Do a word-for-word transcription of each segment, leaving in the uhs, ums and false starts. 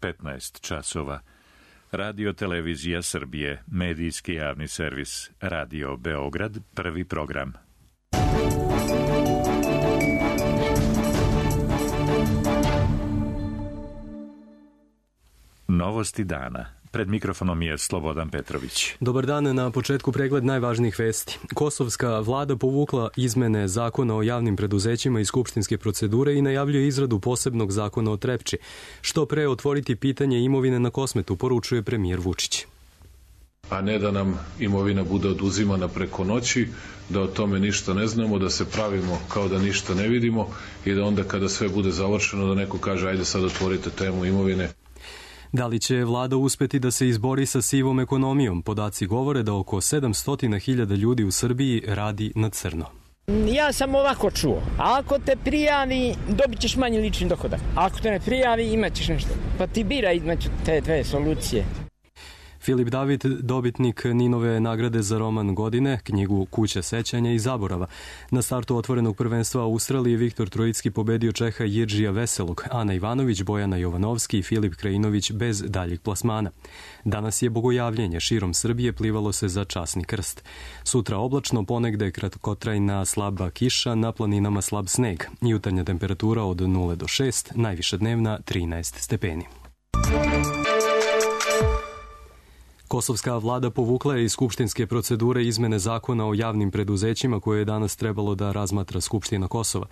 petnaest časova. Radio Televizija Srbije, medijski javni servis, Radio Beograd, prvi program. Novosti dana. Pred mikrofonom je Slobodan Petrović. Dobar dan, na početku pregled najvažnijih vesti. Kosovska vlada povukla izmene zakona o javnim preduzećima i skupštinske procedure i najavljuje izradu posebnog zakona o Trepči. Što pre otvoriti pitanje imovine na Kosmetu, poručuje premijer Vučić. A ne da nam imovina bude oduzimana preko noći, da o tome ništa ne znamo, da se pravimo kao da ništa ne vidimo i da onda kada sve bude završeno da neko kaže ajde sad otvorite temu imovine. Da li će vlada uspeti da se izbori sa sivom ekonomijom? Podaci govore da oko sedamsto hiljada ljudi u Srbiji radi na crno. Ja sam ovako čuo. Ako te prijavi, dobit ćeš manji lični dohodak. Ako te ne prijavi, imat ćeš nešto. Pa ti biraj između te dve solucije. Filip David, dobitnik Ninove nagrade za roman godine, knjigu Kuća sećanja i zaborava. Na startu otvorenog prvenstva Australije Viktor Trojicki pobedio Čeha Jiržija Veselog, Ana Ivanović, Bojana Jovanovski i Filip Krajinović bez daljih plasmana. Danas je bogojavljenje, širom Srbije plivalo se za časni krst. Sutra oblačno, ponegde kratkotrajna slaba kiša, na planinama slab sneg. Jutarnja temperatura od nula do šest, najviša dnevna trinaest stepeni. Kosovska vlada povukla je iz skupštinske procedure izmene zakona o javnim preduzećima koje je danas trebalo da razmatra Skupština Kosova.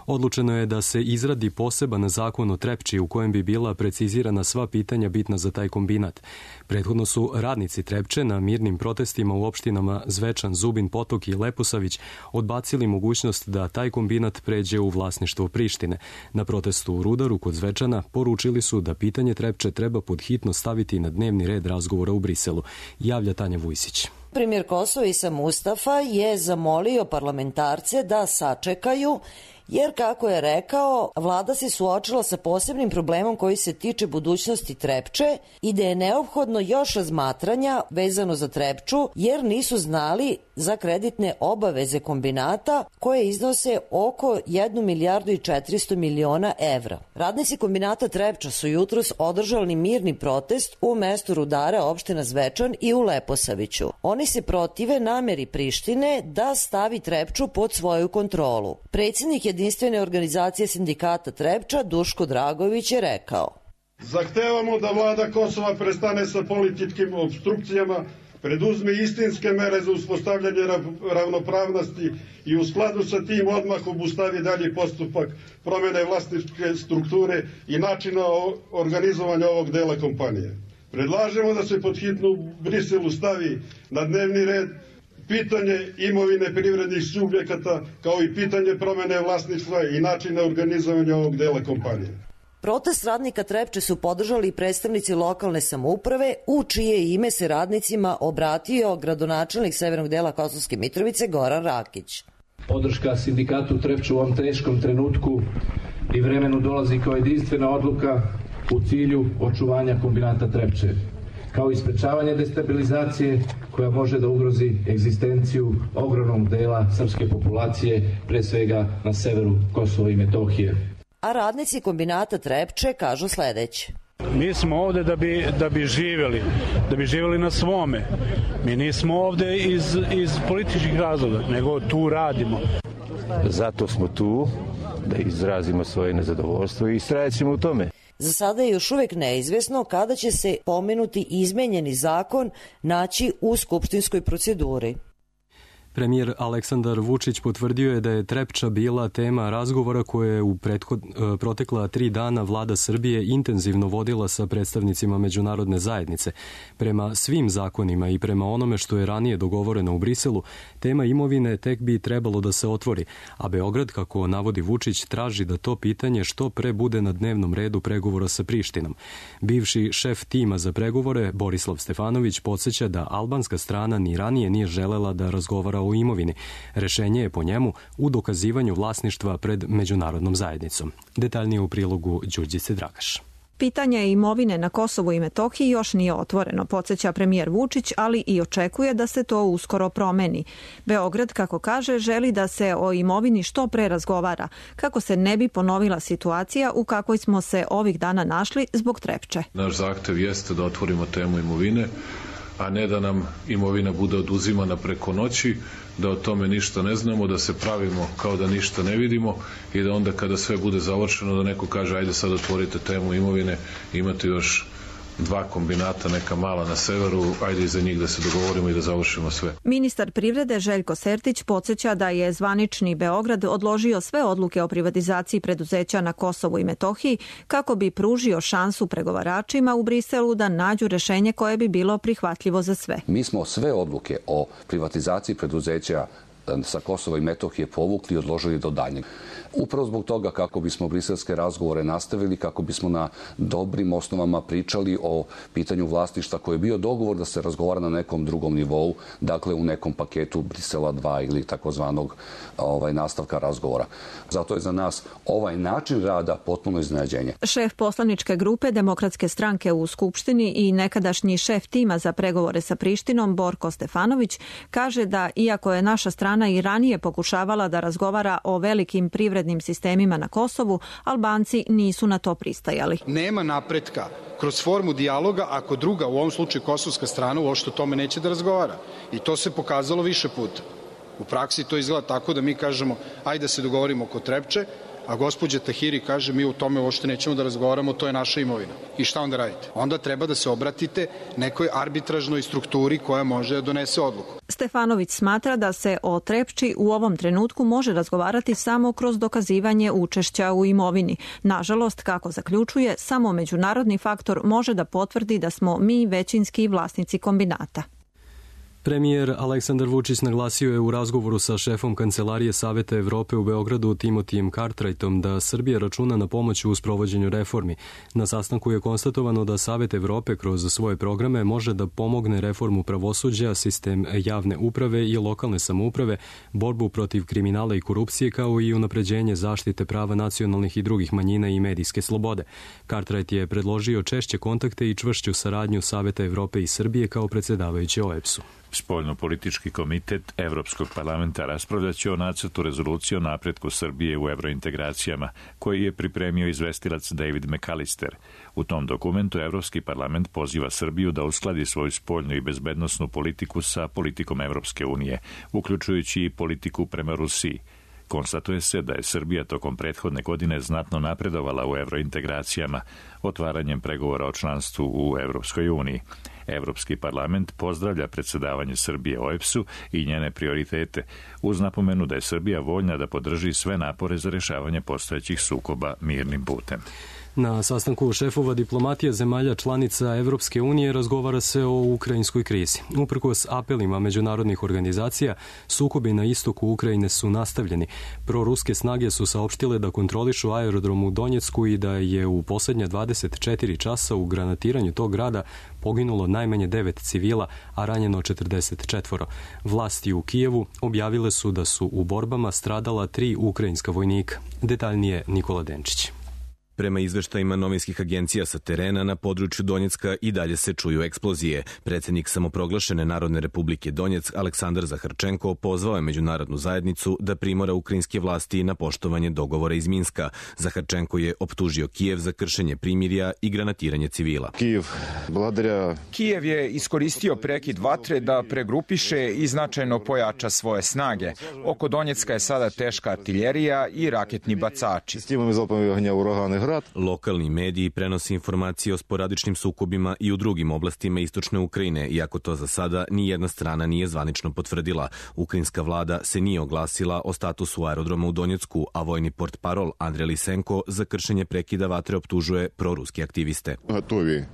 Odlučeno je da se izradi poseban zakon o Trepči u kojem bi bila precizirana sva pitanja bitna za taj kombinat. Prethodno su radnici Trepče na mirnim protestima u opštinama Zvečan, Zubin Potok i Leposavić odbacili mogućnost da taj kombinat pređe u vlasništvo Prištine. Na protestu u Rudaru kod Zvečana poručili su da pitanje Trepče treba pod hitno staviti na dnevni red razgovora u Briselu. Javlja Tanja Vujsić. Premijer Kosova Isa Mustafa je zamolio parlamentarce da sačekaju, jer kako je rekao, vlada se suočila sa posebnim problemom koji se tiče budućnosti Trepče i da je neophodno još razmatranja vezano za Trepču, jer nisu znali za kreditne obaveze kombinata koje iznose oko jednu milijardu i četiristo miliona evra. Radnici kombinata Trepča su jutros održali mirni protest u mestu Rudara, opština Zvečan i u Leposaviću. Oni se protive nameri Prištine da stavi Trepču pod svoju kontrolu. Predsjednik Jedinstvene organizacije sindikata Trepča Duško Dragović je rekao: Zahtevamo da vlada Kosova prestane sa političkim obstrukcijama, preduzme istinske mere za uspostavljanje ravnopravnosti i u skladu sa tim odmah obustavi dalji postupak promjene vlasničke strukture i načina organizovanja ovog dela kompanije. Predlažemo da se pod hitno u Briselu stavi na dnevni red pitanje imovine privrednih subjekata, kao i pitanje promjene vlasništva i načina organizovanja ovog dela kompanije. Protest radnika Trepče su podržali predstavnici lokalne samouprave, u čije ime se radnicima obratio gradonačelnik severnog dela Kosovske Mitrovice Goran Rakić. Podrška sindikatu Trepče u ovom teškom trenutku i vremenu dolazi kao jedinstvena odluka u cilju očuvanja kombinata Trepče, kao i sprečavanje destabilizacije koja može da ugrozi egzistenciju ogromnog dela srpske populacije, pre svega na severu Kosova i Metohije. A radnici kombinata Trepče kažu sledeće. Mi smo ovde da bi, da bi živjeli, da bi živjeli na svome. Mi nismo ovde iz, iz političkih razloga, nego tu radimo. Zato smo tu da izrazimo svoje nezadovoljstvo i istrajaćemo u tome. Za sada je još uvijek neizvesno kada će se pomenuti izmenjeni zakon naći u skupštinskoj proceduri. Premijer Aleksandar Vučić potvrdio je da je Trepča bila tema razgovora koje je u prethod, protekla tri dana vlada Srbije intenzivno vodila sa predstavnicima međunarodne zajednice. Prema svim zakonima i prema onome što je ranije dogovoreno u Briselu, tema imovine tek bi trebalo da se otvori, a Beograd, kako navodi Vučić, traži da to pitanje što pre bude na dnevnom redu pregovora sa Prištinom. Bivši šef tima za pregovore, Borislav Stefanović, podsjeća da albanska strana ni ranije nije želela da razgovara o imovini. Rešenje je po njemu u dokazivanju vlasništva pred međunarodnom zajednicom. Detaljnije u prilogu Đurđice Dragaš. Pitanje imovine na Kosovu i Metohiji još nije otvoreno, podsjeća premijer Vučić, ali i očekuje da se to uskoro promeni. Beograd, kako kaže, želi da se o imovini što pre razgovara, kako se ne bi ponovila situacija u kakvoj smo se ovih dana našli zbog Trepče. Naš zahtev jeste da otvorimo temu imovine, a ne da nam imovina bude oduzimana preko noći, da o tome ništa ne znamo, da se pravimo kao da ništa ne vidimo i da onda kada sve bude završeno da neko kaže ajde sad otvorite temu imovine, imate još dva kombinata, neka mala na severu, ajde iza njih da se dogovorimo i da završimo sve. Ministar privrede Željko Sertić podsjeća da je zvanični Beograd odložio sve odluke o privatizaciji preduzeća na Kosovu i Metohiji kako bi pružio šansu pregovaračima u Briselu da nađu rešenje koje bi bilo prihvatljivo za sve. Mi smo sve odluke o privatizaciji preduzeća sa Kosova i Metohije povukli i odložili do daljnjeg. Upravo zbog toga kako bismo briselske razgovore nastavili, kako bismo na dobrim osnovama pričali o pitanju vlasništva koji je bio dogovor da se razgovara na nekom drugom nivou, dakle u nekom paketu Brisela dva ili takozvanog ovaj, nastavka razgovora. Zato je za nas ovaj način rada potpuno iznenađenje. Šef poslaničke grupe Demokratske stranke u Skupštini i nekadašnji šef tima za pregovore sa Prištinom Borko Stefanović kaže da iako je naša strana i ranije pokušavala da razgovara o velikim privrednim sistemima na Kosovu, Albanci nisu na to pristajali. Nema napretka kroz formu dijaloga ako druga, u ovom slučaju kosovska strana, uopšte o tome neće da razgovara. I to se pokazalo više puta. U praksi to izgleda tako da mi kažemo ajde da se dogovorimo oko Trepče, a gospođa Tahiri kaže mi o tome uopšte nećemo da razgovaramo, to je naša imovina. I šta onda radite? Onda treba da se obratite nekoj arbitražnoj strukturi koja može da donese odluku. Stefanović smatra da se o Trepči u ovom trenutku može razgovarati samo kroz dokazivanje učešća u imovini. Nažalost, kako zaključuje, samo međunarodni faktor može da potvrdi da smo mi većinski vlasnici kombinata. Premijer Aleksandar Vučić naglasio je u razgovoru sa šefom Kancelarije Saveta Evrope u Beogradu Timotijem Cartwrightom da Srbija računa na pomoć u sprovođenju reformi. Na sastanku je konstatovano da Savet Evrope kroz svoje programe može da pomogne reformu pravosuđa, sistem javne uprave i lokalne samouprave, borbu protiv kriminala i korupcije kao i unapređenje zaštite prava nacionalnih i drugih manjina i medijske slobode. Cartwright je predložio češće kontakte i čvršću saradnju Saveta Evrope i Srbije kao predsjedavajući O E B S-u. Spoljno-politički komitet Evropskog parlamenta raspravljaće o nacrtu rezolucije o napretku Srbije u evrointegracijama, koji je pripremio izvestilac David McAllister. U tom dokumentu Evropski parlament poziva Srbiju da uskladi svoju spoljnu i bezbednosnu politiku sa politikom Evropske unije, uključujući i politiku prema Rusiji. Konstatuje se da je Srbija tokom prethodne godine znatno napredovala u evrointegracijama, otvaranjem pregovora o članstvu u Evropskoj uniji. Evropski parlament pozdravlja predsjedavanje Srbije O E B S-u i njene prioritete, uz napomenu da je Srbija voljna da podrži sve napore za rješavanje postojećih sukoba mirnim putem. Na sastanku šefova diplomatija zemalja članica Evropske unije razgovara se o ukrajinskoj krizi. Uprkos apelima međunarodnih organizacija, sukobi na istoku Ukrajine su nastavljeni. Proruske snage su saopštile da kontrolišu aerodrom u Donjecku i da je u posljednja dvadeset četiri časa u granatiranju tog grada poginulo najmanje devet civila, a ranjeno četrdeset četvoro. Vlasti u Kijevu objavile su da su u borbama stradala tri ukrajinska vojnika. Detaljnije Nikola Denčić. Prema izveštajima novinskih agencija sa terena, na području Donjecka i dalje se čuju eksplozije. Predsjednik samoproglašene Narodne republike Donjeck, Aleksandar Zaharčenko, pozvao je međunarodnu zajednicu da primora ukrajinske vlasti na poštovanje dogovora iz Minska. Zaharčenko je optužio Kijev za kršenje primirja i granatiranje civila. Kijev, благодаря... Kijev je iskoristio prekid vatre da pregrupiše i značajno pojača svoje snage. Oko Donjecka je sada teška artiljerija i raketni bacači. Lokalni mediji prenose informacije o sporadičnim sukobima i u drugim oblastima istočne Ukrajine, iako to za sada ni jedna strana nije zvanično potvrdila. Ukrajinska vlada se nije oglasila o statusu aerodroma u Donjecku, a vojni portparol Andrej Lisenko za kršenje prekida vatre optužuje proruske aktiviste.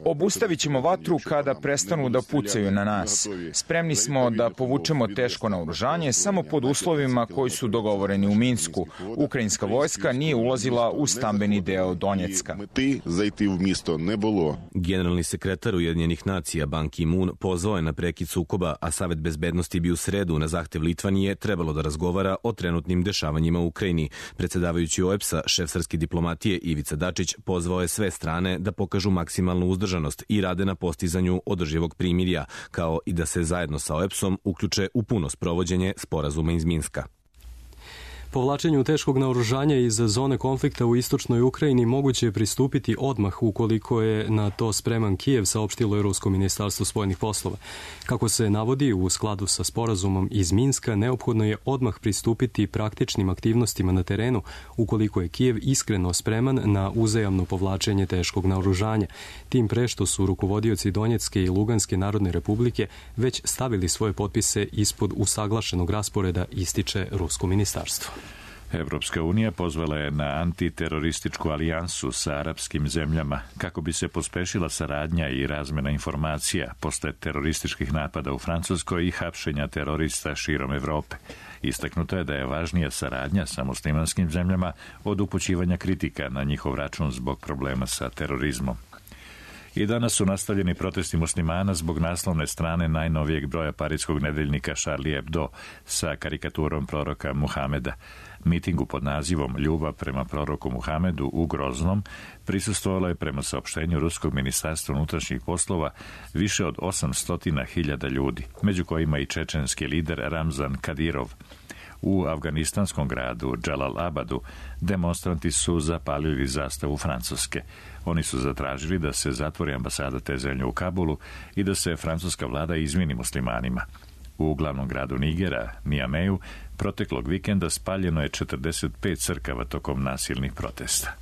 Obustavit ćemo vatru kada prestanu da pucaju na nas. Spremni smo da povučemo teško naoružanje samo pod uslovima koji su dogovoreni u Minsku. Ukrajinska vojska nije ulazila u stambeni deo Donjecka. Generalni sekretar Ujedinjenih nacija Ban Ki-moon pozvao je na prekid sukoba, a Savet bezbednosti bi u sredu na zahtev Litvanije trebalo da razgovara o trenutnim dešavanjima u Ukrajini. Predsedavajući O E B S-a, šef srpske diplomatije Ivica Dačić pozvao je sve strane da pokažu maksimalnu uzdržanost i rade na postizanju održivog primirja, kao i da se zajedno sa O E B S-om uključe u puno sprovođenje sporazuma iz Minska. Povlačenju teškog naoružanja iz zone konflikta u istočnoj Ukrajini moguće je pristupiti odmah ukoliko je na to spreman Kijev, saopštilo je Rusko ministarstvo spoljnih poslova. Kako se navodi, u skladu sa sporazumom iz Minska, neophodno je odmah pristupiti praktičnim aktivnostima na terenu ukoliko je Kijev iskreno spreman na uzajamno povlačenje teškog naoružanja. Tim pre što su rukovodioci Donjecke i Luganske narodne republike već stavili svoje potpise ispod usaglašenog rasporeda, ističe Rusko ministarstvo. Evropska unija pozvala je na antiterorističku alijansu sa arapskim zemljama kako bi se pospešila saradnja i razmena informacija posle terorističkih napada u Francuskoj i hapšenja terorista širom Evrope. Istaknuto je da je važnija saradnja sa muslimanskim zemljama od upućivanja kritika na njihov račun zbog problema sa terorizmom. I danas su nastavljeni protesti muslimana zbog naslovne strane najnovijeg broja parijskog nedeljnika Charlie Hebdo sa karikaturom proroka Muhameda. Mitingu pod nazivom Ljubav prema proroku Muhamedu u Groznom prisustvovalo je prema saopštenju Ruskog ministarstva unutrašnjih poslova više od osamsto hiljada ljudi, među kojima i čečenski lider Ramzan Kadirov. U afganistanskom gradu Džalalabadu demonstranti su zapalili zastavu Francuske. Oni su zatražili da se zatvori ambasada te zemlje u Kabulu i da se francuska vlada izvini muslimanima. U glavnom gradu Nigera, Niameju, proteklog vikenda spaljeno je četrdeset pet crkava tokom nasilnih protesta.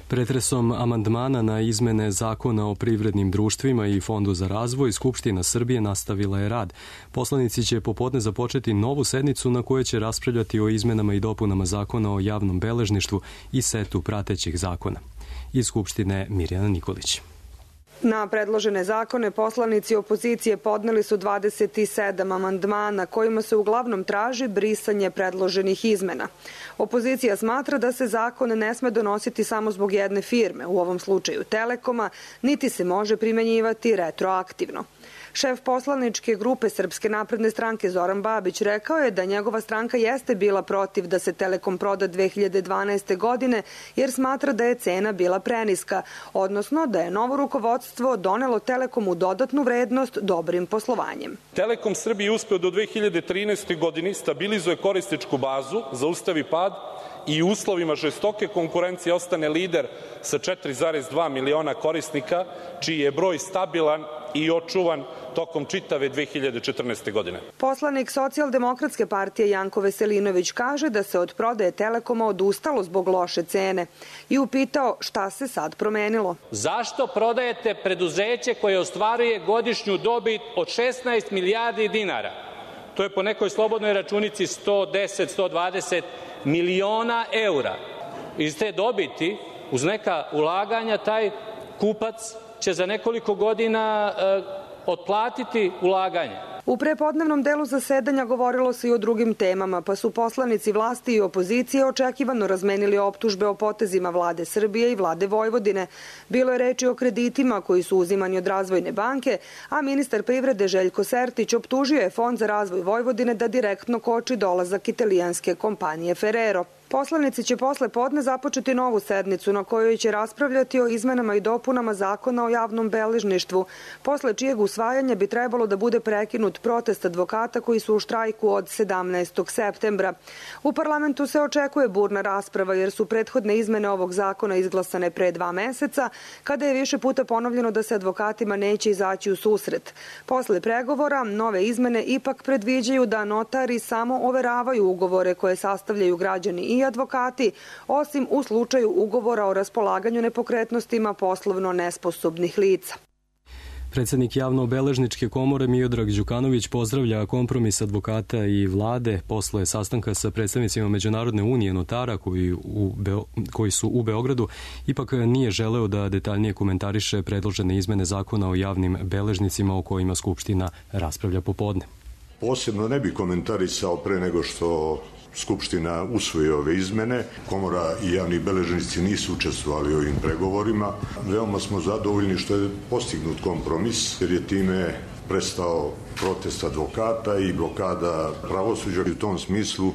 Pretresom amandmana na izmene Zakona o privrednim društvima i Fondu za razvoj, Skupština Srbije nastavila je rad. Poslanici će popodne započeti novu sednicu na kojoj će raspravljati o izmenama i dopunama Zakona o javnom beležništvu i setu pratećih zakona. Iz Skupštine Mirjana Nikolić. Na predložene zakone poslanici opozicije podneli su dvadeset sedam amandmana kojima se uglavnom traži brisanje predloženih izmena. Opozicija smatra da se zakon ne sme donositi samo zbog jedne firme, u ovom slučaju Telekoma, niti se može primenjivati retroaktivno. Šef poslaničke grupe Srpske napredne stranke Zoran Babić rekao je da njegova stranka jeste bila protiv da se Telekom proda dve hiljade dvanaeste. godine jer smatra da je cena bila preniska, odnosno da je novo rukovodstvo donelo Telekomu dodatnu vrednost dobrim poslovanjem. Telekom Srbije uspeo do dve hiljade trinaeste. godine stabilizuje korisničku bazu, zaustavi pad i u uslovima žestoke konkurencije ostane lider sa četiri zarez dva miliona korisnika, čiji je broj stabilan i očuvan tokom čitave dve hiljade četrnaeste. godine. Poslanik Socijaldemokratske partije Janko Veselinović kaže da se od prodaje Telekoma odustalo zbog loše cene i upitao šta se sad promenilo. Zašto prodajete preduzeće koje ostvaruje godišnju dobit od šesnaest milijardi dinara? To je po nekoj slobodnoj računici sto deset do sto dvadeset miliona eura. Iz te dobiti, uz neka ulaganja, taj kupac će za nekoliko godina e, otplatiti ulaganje. U prepodnevnom delu zasedanja govorilo se i o drugim temama, pa su poslanici vlasti i opozicije očekivano razmenili optužbe o potezima vlade Srbije i vlade Vojvodine. Bilo je reči o kreditima koji su uzimani od Razvojne banke, a ministar privrede Željko Sertić optužio je Fond za razvoj Vojvodine da direktno koči dolazak italijanske kompanije Ferrero. Poslanici će posle podne započeti novu sednicu na kojoj će raspravljati o izmenama i dopunama Zakona o javnom beležništvu, posle čijeg usvajanja bi trebalo da bude prekinut protest advokata koji su u štrajku od sedamnaestog septembra. U parlamentu se očekuje burna rasprava jer su prethodne izmene ovog zakona izglasane pre dva meseca, kada je više puta ponovljeno da se advokatima neće izaći u susret. Posle pregovora, nove izmene ipak predviđaju da notari samo overavaju ugovore koje sastavljaju građani i advokati, osim u slučaju ugovora o raspolaganju nepokretnostima poslovno nesposobnih lica. Predsednik Javno-beležničke komore Miodrag Đukanović pozdravlja kompromis advokata i vlade posle sastanka sa predstavnicima Međunarodne unije notara koji, u Beo, koji su u Beogradu. Ipak nije želeo da detaljnije komentariše predložene izmene zakona o javnim beležnicima o kojima Skupština raspravlja popodne. Posebno ne bi komentarisao pre nego što Skupština usvoji ove izmene. Komora i javni beležnici nisu učestvovali u ovim pregovorima. Veoma smo zadovoljni što je postignut kompromis, jer je time prestao protest advokata i blokada pravosuđa. U tom smislu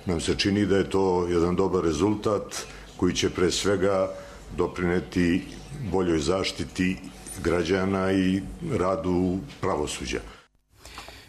nam se čini da je to jedan dobar rezultat koji će pre svega doprineti boljoj zaštiti građana i radu pravosuđa.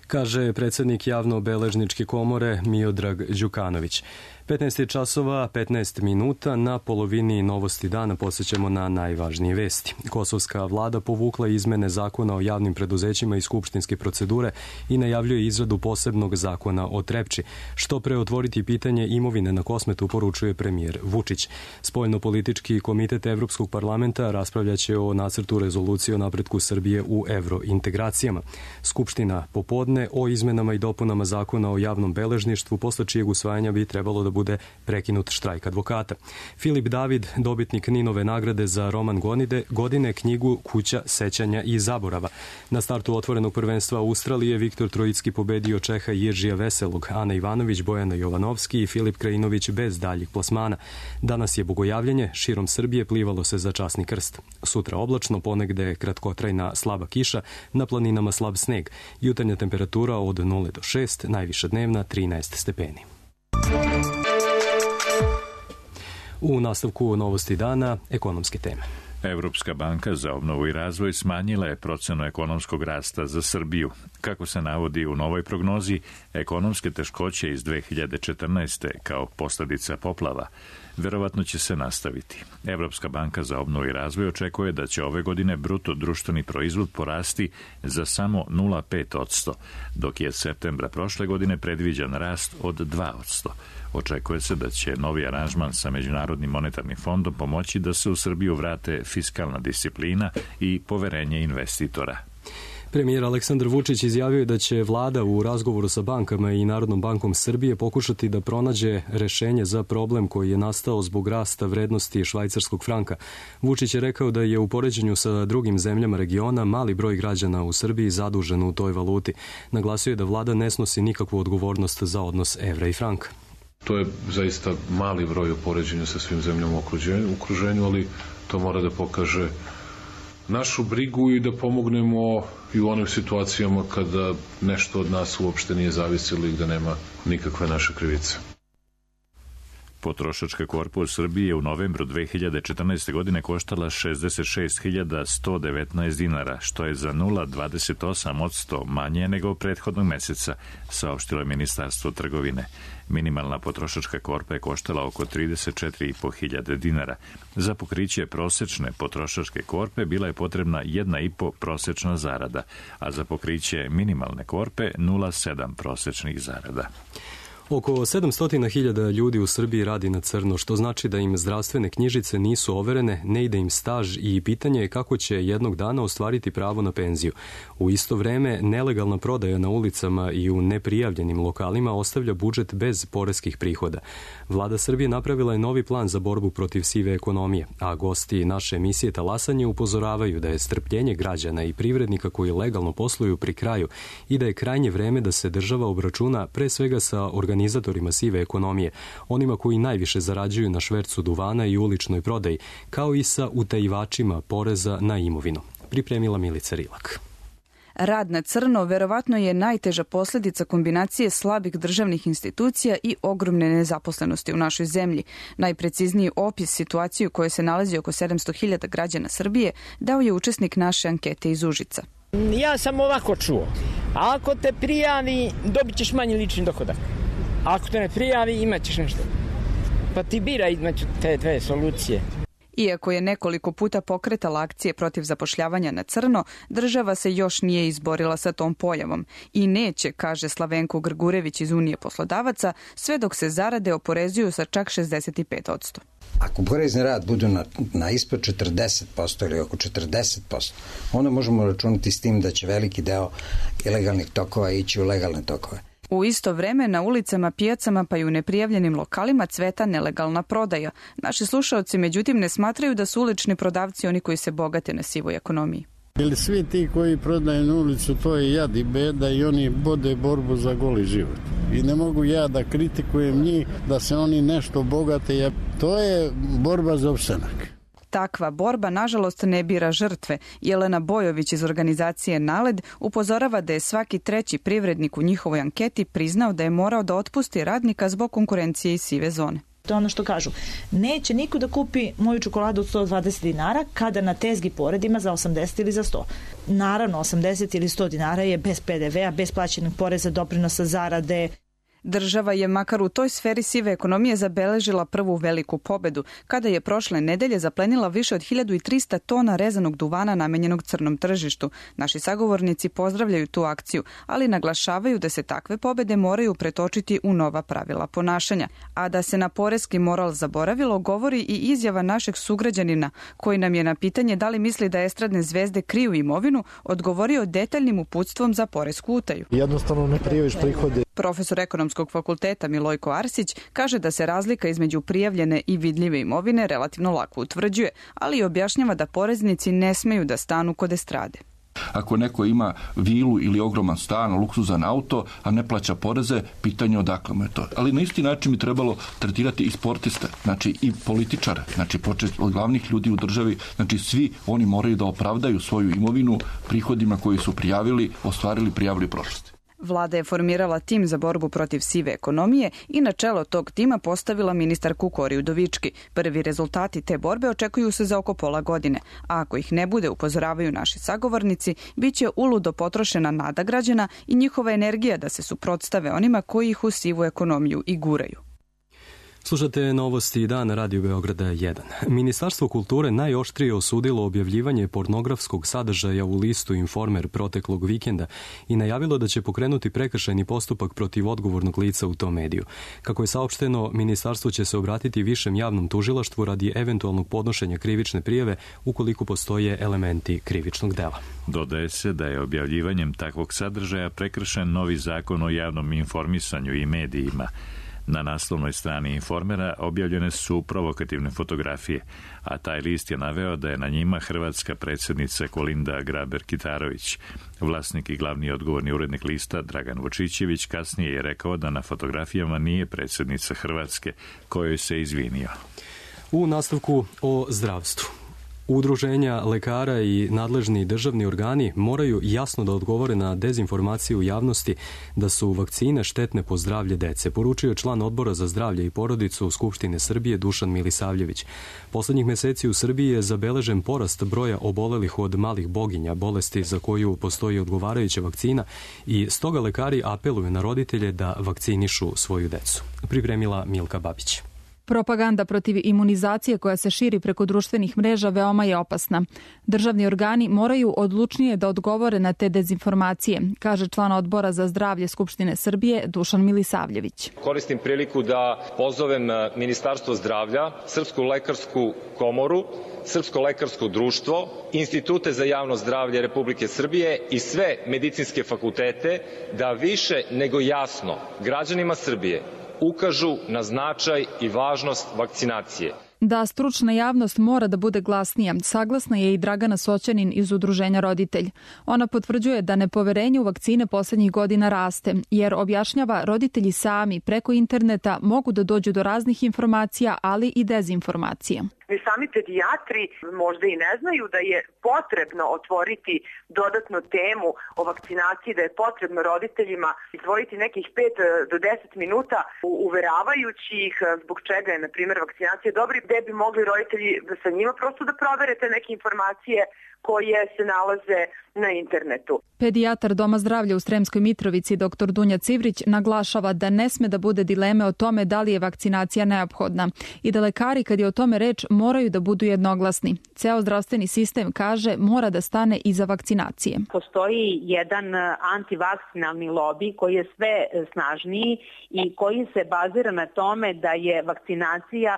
Kaže predsjednik javno-beležničke komore Miodrag Đukanović. petnaest časova, petnaest minuta, na polovini Novosti dana posjećamo na najvažnije vesti. Kosovska vlada povukla izmene zakona o javnim preduzećima i skupštinske procedure i najavljuje izradu posebnog zakona o Trepči. Što pre otvoriti pitanje imovine na Kosmetu, poručuje premijer Vučić. Spoljno-politički komitet Evropskog parlamenta raspravljaće o nacrtu rezolucije o napretku Srbije u evrointegracijama. Skupština popodne o izmenama i dopunama zakona o javnom beležništvu, posle čijeg usvajanja bi trebalo da bude prekinut štrajk advokata. Filip David, dobitnik Ninove nagrade za roman godine, knjigu Kuća sećanja i zaborava. Na startu otvorenog prvenstva Australije Viktor Trojicki pobedio Čeha Jiržija Veselog, Ana Ivanović, Bojana Jovanovski i Filip Krajinović bez daljih plasmana. Danas je bogojavljenje, širom Srbije plivalo se za časni krst. Sutra oblačno, ponegde kratkotrajna slaba kiša, na planinama slab sneg. Jutarnja temperatura od nula do šest, najviša dnevna trinaest stepeni. U nastavku Novosti dana, ekonomske teme. Evropska banka za obnovu i razvoj smanjila je procenu ekonomskog rasta za Srbiju. Kako se navodi u novoj prognozi, ekonomske teškoće iz dve hiljade četrnaeste kao posljedica poplava verovatno će se nastaviti. Evropska banka za obnovu i razvoj očekuje da će ove godine bruto društveni proizvod porasti za samo nula zarez pet posto, dok je septembra prošle godine predviđan rast od dva posto. Očekuje se da će novi aranžman sa Međunarodnim monetarnim fondom pomoći da se u Srbiju vrate fiskalna disciplina i poverenje investitora. Premijer Aleksandar Vučić izjavio je da će vlada u razgovoru sa bankama i Narodnom bankom Srbije pokušati da pronađe rešenje za problem koji je nastao zbog rasta vrednosti švajcarskog franka. Vučić je rekao da je u poređenju sa drugim zemljama regiona mali broj građana u Srbiji zadužen u toj valuti. Naglasio je da vlada ne snosi nikakvu odgovornost za odnos evra i franka. To je zaista mali broj u poređenju sa svim zemljama u okruženju, ali to mora da pokaže našu brigu i da pomognemo i u onim situacijama kada nešto od nas uopšte nije zavisilo i da nema nikakve naše krivice. Potrošačka korpa u Srbiji je u novembru dve hiljade četrnaeste. godine koštala šezdeset šest hiljada sto devetnaest dinara, što je za nula zarez dvadeset osam posto manje nego prethodnog meseca, saopštilo je Ministarstvo trgovine. Minimalna potrošačka korpa je koštala oko trideset četiri i po hiljade dinara. Za pokriće prosečne potrošačke korpe bila je potrebna jedna i po prosečna zarada, a za pokriće minimalne korpe nula zarez sedam prosečnih zarada. Oko sedamsto hiljada ljudi u Srbiji radi na crno, što znači da im zdravstvene knjižice nisu overene, ne ide im staž i pitanje je kako će jednog dana ostvariti pravo na penziju. U isto vreme, nelegalna prodaja na ulicama i u neprijavljenim lokalima ostavlja budžet bez poreskih prihoda. Vlada Srbije napravila je novi plan za borbu protiv sive ekonomije, a gosti naše emisije Talasanje upozoravaju da je strpljenje građana i privrednika koji legalno posluju pri kraju i da je krajnje vreme da se država obračuna pre svega sa organizacijama organizatorima sive ekonomije, onima koji najviše zarađuju na švercu duvana i uličnoj prodaji, kao i sa utajivačima poreza na imovinu. Pripremila Milica Rilak. Rad na crno verovatno je najteža posljedica kombinacije slabih državnih institucija i ogromne nezaposlenosti u našoj zemlji. Najprecizniji opis situacije u kojoj se nalazi oko sedamsto hiljada građana Srbije dao je učesnik naše ankete iz Užica. Ja sam ovako čuo. Ako te prijavi, dobit ćeš manji lični dohodak. Ako te ne prijavi, imat ćeš nešto. Pa ti biraj između te dve solucije. Iako je nekoliko puta pokretala akcije protiv zapošljavanja na crno, država se još nije izborila sa tom pojavom i neće, kaže Slavenko Grgurević iz Unije poslodavaca, sve dok se zarade oporezuju sa čak šezdeset pet posto. Ako porezni rad budu na, na ispod četrdeset posto ili oko četrdeset posto, onda možemo računati s tim da će veliki deo ilegalnih tokova ići u legalne tokove. U isto vreme na ulicama, pijacama pa i u neprijavljenim lokalima cveta nelegalna prodaja. Naši slušaoci međutim ne smatraju da su ulični prodavci oni koji se bogate na sivoj ekonomiji. Ili svi ti koji prodaju na ulicu, to je jad i beda i oni bode borbu za goli život. i ne mogu ja da kritikujem njih da se oni nešto bogate. To je borba za opstanak. Takva borba, nažalost, ne bira žrtve. Jelena Bojović iz organizacije NALED upozorava da je svaki treći privrednik u njihovoj anketi priznao da je morao da otpusti radnika zbog konkurencije iz sive zone. To je ono što kažu. Neće niko da kupi moju čokoladu od sto dvadeset dinara kada na tezgi pored ima za osamdeset ili za sto. Naravno, osamdeset ili sto dinara je bez pe de vea, bez plaćenog poreza, doprinosa, zarade. Država je makar u toj sferi sive ekonomije zabeležila prvu veliku pobedu, kada je prošle nedelje zaplenila više od hiljadu trista tona rezanog duvana namenjenog crnom tržištu. Naši sagovornici pozdravljaju tu akciju, ali naglašavaju da se takve pobede moraju pretočiti u nova pravila ponašanja. A da se na poreski moral zaboravilo, govori i izjava našeg sugrađanina, koji nam je na pitanje da li misli da estradne zvezde kriju imovinu, odgovorio detaljnim uputstvom za poresku utaju. Jednostavno ne prijaviš prihode. Profesor ekonomskog fakulteta Milojko Arsić kaže da se razlika između prijavljene i vidljive imovine relativno lako utvrđuje, ali objašnjava da poreznici ne smeju da stanu kod estrade. Ako neko ima vilu ili ogroman stan, luksuzan auto, a ne plaća poreze, pitanje odakle mu je to. Ali na isti način bi trebalo tretirati i sportiste, znači i političare, znači počet od glavnih ljudi u državi, znači svi oni moraju da opravdaju svoju imovinu prihodima koji su prijavili, ostvarili, prijavili u prošlosti. Vlada je formirala tim za borbu protiv sive ekonomije i na čelo tog tima postavila ministarku Kori Udovički. Prvi rezultati te borbe očekuju se za oko pola godine, a ako ih ne bude, upozoravaju naši sagovornici, bit će uludo potrošena nada građana i njihova energija da se suprotstave onima koji ih u sivu ekonomiju i guraju. Slušate novosti dana Radio Beograda jedan. Ministarstvo kulture najoštrije osudilo objavljivanje pornografskog sadržaja u listu Informer proteklog vikenda i najavilo da će pokrenuti prekršajni postupak protiv odgovornog lica u tom mediju. Kako je saopšteno, ministarstvo će se obratiti višem javnom tužilaštvu radi eventualnog podnošenja krivične prijave ukoliko postoje elementi krivičnog dela. Dodaje se da je objavljivanjem takvog sadržaja prekršen novi zakon o javnom informisanju i medijima. Na naslovnoj strani Informera objavljene su provokativne fotografije, a taj list je naveo da je na njima hrvatska predsjednica Kolinda Grabar-Kitarović. Vlasnik i glavni odgovorni urednik lista Dragan Vučićević kasnije je rekao da na fotografijama nije predsjednica Hrvatske, kojoj se izvinio. U nastavku o zdravstvu. Udruženja lekara i nadležni državni organi moraju jasno da odgovore na dezinformaciju u javnosti da su vakcine štetne po zdravlje dece, poručio član Odbora za zdravlje i porodicu u Skupštine Srbije Dušan Milisavljević. Poslednjih meseci u Srbiji je zabeležen porast broja obolelih od malih boginja, bolesti za koju postoji odgovarajuća vakcina, i stoga lekari apeluju na roditelje da vakcinišu svoju decu. Pripremila Milka Babić. Propaganda protiv imunizacije koja se širi preko društvenih mreža veoma je opasna. Državni organi moraju odlučnije da odgovore na te dezinformacije, kaže član Odbora za zdravlje Skupštine Srbije Dušan Milisavljević. Koristim priliku da pozovem Ministarstvo zdravlja, Srpsku lekarsku komoru, Srpsko lekarsko društvo, Institute za javno zdravlje Republike Srbije i sve medicinske fakultete da više nego jasno građanima Srbije ukažu na značaj i važnost vakcinacije. Da stručna javnost mora da bude glasnija, saglasna je i Dragana Soćanin iz Udruženja Roditelj. Ona potvrđuje da nepoverenje u vakcine poslednjih godina raste, jer objašnjava roditelji sami preko interneta mogu da dođu do raznih informacija, ali i dezinformacija. Ni sami pedijatri možda i ne znaju da je potrebno otvoriti dodatnu temu o vakcinaciji, da je potrebno roditeljima izdvojiti nekih pet do deset minuta uveravajući ih zbog čega je, na primjer, vakcinacija dobra, gde bi mogli roditelji sa njima prosto da provere te neke informacije koje se nalaze na internetu. Pedijatar Doma zdravlja u Sremskoj Mitrovici dr Dunja Civrić naglašava da ne sme da bude dileme o tome da li je vakcinacija neophodna i da lekari kad je o tome reč moraju da budu jednoglasni. Ceo zdravstveni sistem, kaže, mora da stane iza vakcinacije. Postoji jedan antivakcinalni lobi koji je sve snažniji i koji se bazira na tome da je vakcinacija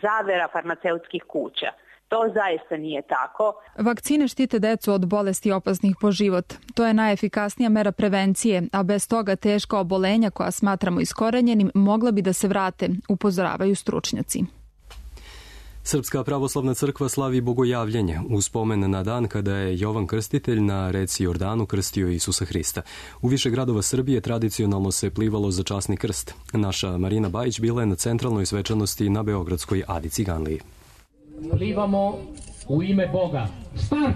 zavera farmaceutskih kuća. To zaista nije tako. Vakcine štite decu od bolesti opasnih po život. To je najefikasnija mera prevencije, a bez toga teška obolenja koja smatramo iskorenjenim mogla bi da se vrate, upozoravaju stručnjaci. Srpska pravoslavna crkva slavi bogojavljenje u spomen na dan kada je Jovan Krstitelj na reci Jordanu krstio Isusa Hrista. U više gradova Srbije tradicionalno se plivalo za časni krst. Naša Marina Bajić bila je na centralnoj svečanosti na beogradskoj Adi Ciganliji. Plivamo u ime Boga. Start!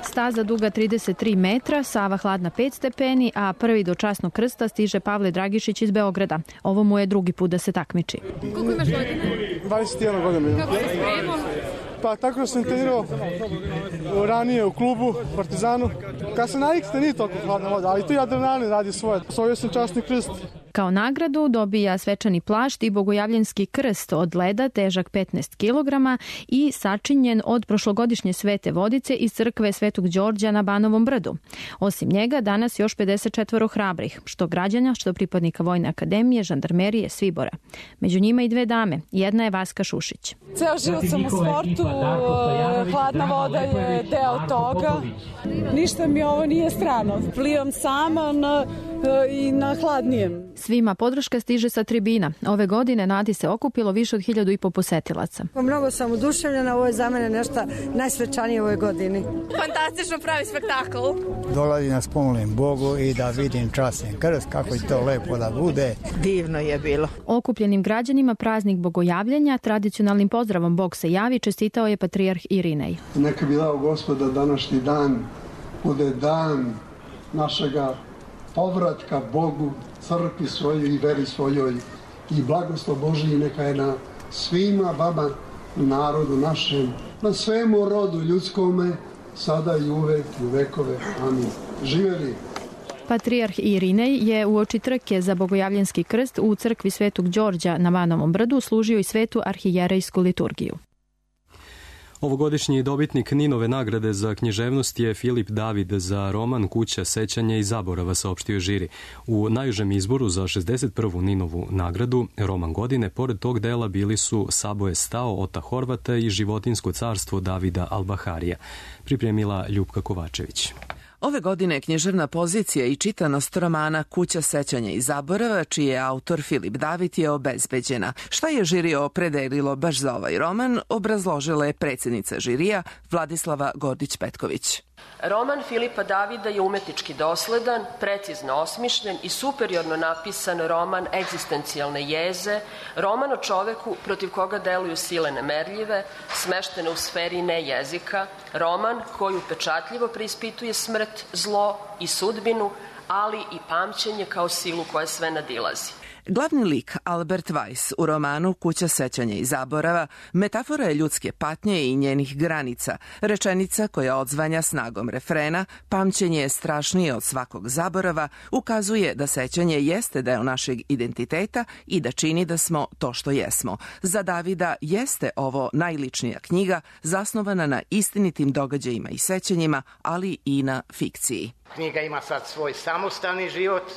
Staza duga trideset tri metra, Sava hladna pet stepeni, a prvi do časnog krsta stiže Pavle Dragišić iz Beograda. Ovo mu je drugi put da se takmiči. Koliko imaš godina? dvadeset jedna godina. Kako se spremao? Pa tako da sam trenirao ranije u klubu, Partizanu. Kad se navikne nije toliko hladna voda, ali tu i adrenalin radi svoje. Osvojio sam časni krst. Kao nagradu dobija svečani plašt i bogojavljanski krst od leda težak petnaest kilograma i sačinjen od prošlogodišnje svete vodice iz crkve Svetog Đorđa na Banovom brdu. Osim njega danas još pedeset četiri hrabrih, što građana, što pripadnika Vojne akademije, žandarmerije, Svibora. Među njima i dve dame, jedna je Vaska Šušić. Ceo život sam u sportu, hladna voda je deo toga. Ništa mi ovo nije strano. Plivam sama na, i na hladnijem. Svima podrška stiže sa tribina. Ove godine na Adi se okupilo više od hiljadu i po posetilaca. Mnogo sam oduševljena, ovo je za mene nešto najsvečanije u ovoj godini. Fantastično pravi spektakl. Dolazim da spomolim Bogu i da vidim časni krst, kako je to lepo da bude. Divno je bilo. Okupljenim građanima praznik bogojavljenja tradicionalnim pozdravom Bog se javi čestitao je patrijarh Irinej. Neka bi dao Gospod da današnji dan bude dan našega povratka Bogu, crkvi svojoj i veri svojoj i blagoslov Božiji neka je na svima vama, narodu našem, na svemu rodu ljudskome, sada i uvek i u vekove. Amin. Živeli! Patrijarh Irinej je uoči trke za bogojavljanski krst u crkvi Svetog Đorđa na Banovom brdu služio i svetu arhijerejsku liturgiju. Ovogodišnji dobitnik Ninove nagrade za književnost je Filip David za roman Kuća sećanja i zaborava, saopštio žiri. U najužem izboru za šezdeset prvu Ninovu nagradu, roman godine, pored tog dela bili su Saboje stao Ota Horvata i Životinsko carstvo Davida Albaharija. Pripremila Ljupka Kovačević. Ove godine književna pozicija i čitanost romana Kuća sećanja i zaborava, čiji je autor Filip David, je obezbeđena. Šta je žiri opredelilo baš za ovaj roman, obrazložila je predsjednica žirija Vladislava Gordić-Petković. Roman Filipa Davida je umetnički dosledan, precizno osmišljen i superiorno napisan roman egzistencijalne jeze, roman o čoveku protiv koga deluju sile nemerljive, smeštene u sferi ne jezika, roman koji upečatljivo preispituje smrt, zlo i sudbinu, ali i pamćenje kao silu koja sve nadilazi. Glavni lik Albert Weiss u romanu Kuća sećanja i zaborava metafora je ljudske patnje i njenih granica, rečenica koja odzvanja snagom refrena, pamćenje je strašnije od svakog zaborava, ukazuje da sećanje jeste deo našeg identiteta i da čini da smo to što jesmo. Za Davida jeste ovo najličnija knjiga, zasnovana na istinitim događajima i sećanjima, ali i na fikciji. Knjiga ima sad svoj samostalni život.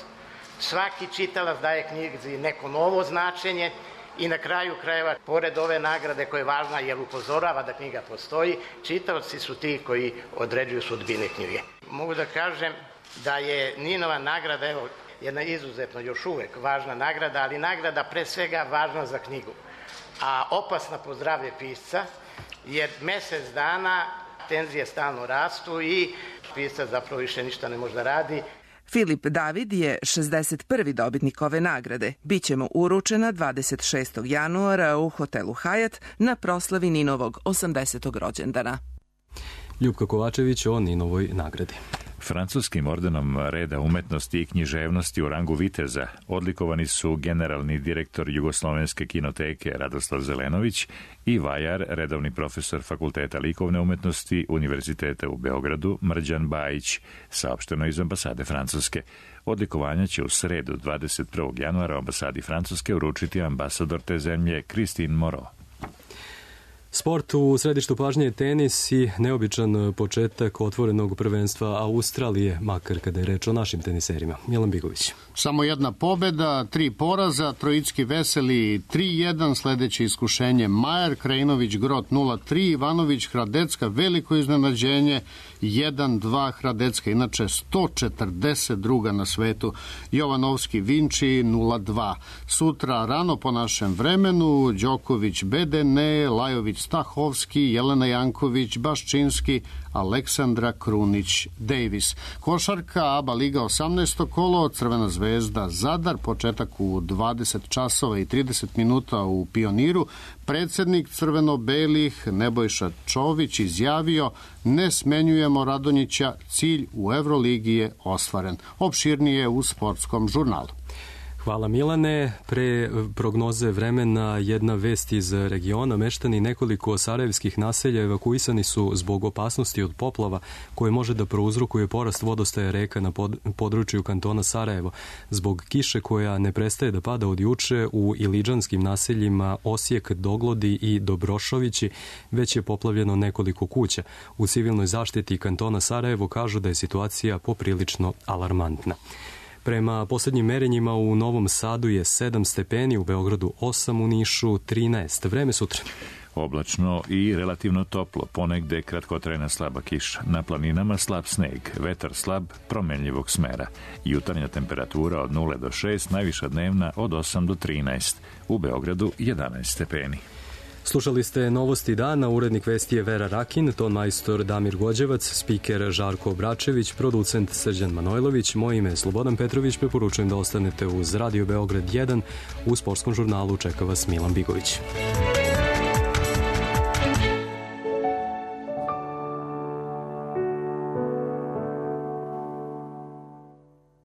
Svaki čitalac daje knjizi neko novo značenje i na kraju krajeva, pored ove nagrade koja je važna jer upozorava da knjiga postoji, čitaoci su ti koji određuju sudbine knjige. Mogu da kažem da je Ninova nagrada, evo, jedna izuzetno još uvek važna nagrada, ali nagrada pre svega važna za knjigu, a opasna po zdravlje pisca, jer mesec dana tenzije stalno rastu i pisac zapravo više ništa ne može da radi. Filip David je šezdeset prvi dobitnik ove nagrade. Biće mu uručena dvadeset šestog januara u hotelu Hajat na proslavi Ninovog osamdesetog rođendana. Ljupka Kovačević o Ninovoj nagradi. Francuskim ordenom reda umetnosti i književnosti u rangu viteza odlikovani su generalni direktor Jugoslovenske kinoteke Radoslav Zelenović i vajar, redovni profesor Fakulteta likovne umetnosti Univerziteta u Beogradu Mrđan Bajić, saopšteno iz ambasade Francuske. Odlikovanja će u sredu dvadeset prvog januara ambasadi Francuske uručiti ambasador te zemlje Christine Moreau. Sport u središtu pažnje je tenis i neobičan početak otvorenog prvenstva Australije, makar kada je reč o našim teniserima. Milan Bigović. Samo jedna pobeda, tri poraza, Trojicki Veseli tri jedan, sledeće iskušenje Majer, Krajinović Grot nula tri, Ivanović Hradecka, veliko iznenađenje jedan dva Hradecka, inače sto četrdeset druga na svetu, Jovanovski Vinči nula dva. Sutra rano po našem vremenu Đoković Bedene, Lajović Stahovski, Jelena Janković Baščinski, Aleksandra Krunić Davis. Košarka, ABA Liga osamnaesto kolo, Crvena zvezda Zadar, početak u dvadeset časova i trideset minuta u Pioniru. Predsednik crveno-belih Nebojša Čović izjavio: ne smenjujemo Radonjića, cilj u Evroligi je ostvaren. Opširnije u sportskom žurnalu. Hvala Milane. Pre prognoze vremena jedna vest iz regiona. Meštani nekoliko sarajevskih naselja evakuisani su zbog opasnosti od poplava koje može da prouzrokuje porast vodostaja reka na području kantona Sarajevo. Zbog kiše koja ne prestaje da pada od juče u ilidžanskim naseljima Osijek, Doglodi i Dobrošovići već je poplavljeno nekoliko kuća. U civilnoj zaštiti kantona Sarajevo kažu da je situacija poprilično alarmantna. Prema posljednjim merenjima u Novom Sadu je sedam stepeni, u Beogradu osam, u Nišu trinaest. Vreme sutra. Oblačno i relativno toplo, ponegde kratkotrajna slaba kiša. Na planinama slab sneg, vetar slab, promenljivog smera. Jutarnja temperatura od nula do šest, najviša dnevna od osam do trinaest. U Beogradu jedanaest stepeni. Slušali ste Novosti dana, urednik vesti je Vera Rakin, ton majstor Damir Gođevac, spiker Žarko Obračević, producent Srđan Manojlović, moje ime je Slobodan Petrović, preporučujem da ostanete uz Radio Beograd jedan, u sportskom žurnalu čeka vas Milan Bigović.